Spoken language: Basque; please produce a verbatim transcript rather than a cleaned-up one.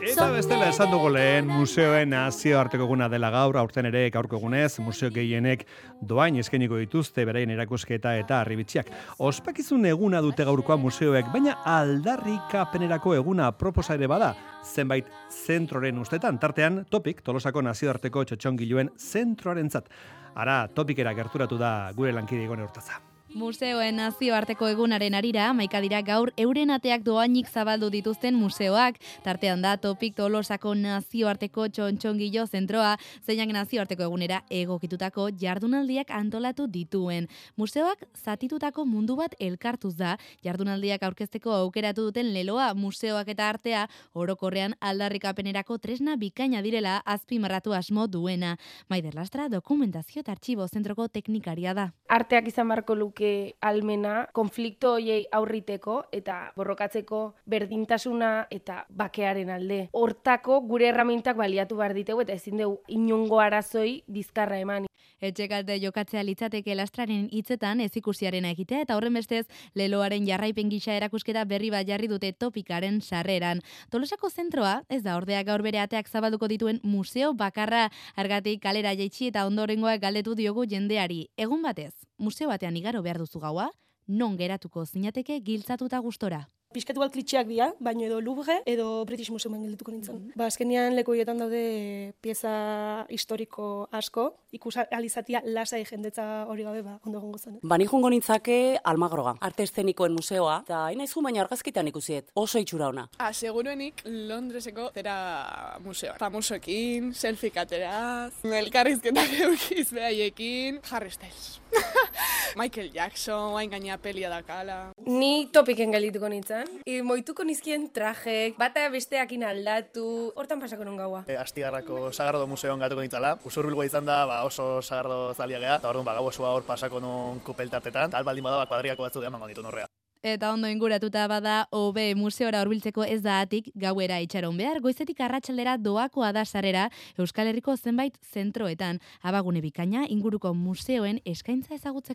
Eta bestela esan dugu lehen, museoen nazioarteko eguna dela gaur, aurten ere gaurko egunez, museo gehienek doain eskainiko dituzte beraien erakusketa eta harribitxiak. Ospakizun eguna dute gaurkoa museoek, baina aldarrikapenerako eguna proposa ere bada, zenbait zentroren ustetan, tartean Topik, Tolosako nazioarteko txotxongiluen zentroarentzat. Ara, Topikera gerturatu da gure lankide Igone Urtaza. Museoen nazioarteko egunaren arira, hamaika dira gaur euren ateak doainik zabaldu dituzten museoak. Tartean da Topik Tolosako nazioarteko txontxongilo zentroa, zeinak nazioarteko egunera egokitutako jardunaldiak antolatu dituen. Museoak zatitutako mundu bat elkartuz da, jardunaldiak aurkezteko aukeratu duten leloa, museoak eta artea orokorrean aldarrikapenerako tresna bikaina direla azpimarratu asmo duena. Maider Lastra dokumentazio eta artxibo zentroko teknikaria da. Arteak izan barko luke almena, konflikto hoiei aurriteko eta borrokatzeko berdintasuna eta bakearen alde. Hortako gure erramintak baliatu behar ditegu eta ezin dugu inongo arazoi bizkarra eman. Etxekalte jokatzea litzateke Lastraren hitzetan ezikusiarena egitea eta horren bestez leloaren jarraipen gisa erakusketa berri bat jarri dute Topikaren sarreran. Tolosako zentroa ez da ordea gaur bere ateak zabalduko dituen museo bakarra, argatik kalera jaitsi eta ondorengoa galdetu diogu jendeari. Egun batez, museo batean igaro behar duzu gaua, non geratuko zinateke giltzatuta gustora. Piskatu bat klitxeak dira, baino edo Louvre edo British Museumen geldituko nintzen. Mm-hmm. Ba, azkenean leku horietan daude pieza historiko asko, ikus alizatia lasai jendetza hori gabe ba, ondo egongo zen. Ba, ni joango nintzake Almagroga, arte eszenikoen museoa, eta hain aizu baina argazkitan ikusiet, oso itxura ona. Ah, seguruenik Londreseko zera museoa. Famosoekin, selfie kateraz, elkarrizketak eukiz behaiekin, Harry Styles. Michael Jackson, hain gaina pelia dakala. Ni Topiken geldituko nintzen. I, moituko nizkien trajek, bata besteakin aldatu, hortan pasako non gaua. E, Astigarrako Sagardo Museoan gatuko nintzala. Usurbilgoa izan da, ba, oso Sagardo zalia geha, eta orduan ba, gau osoa hor pasako non kupeltartetan, eta albaldin bada ba, kuadriako batzu emango ditu norrea. Eta ondo inguratuta bada, hobe museora hurbiltzeko ez da atik gauera itxaron behar, goizetik arratsaldera doakoa da sarera Euskal Herriko zenbait zentroetan, abagune bikaina inguruko museoen eskaintza ezagutzeko.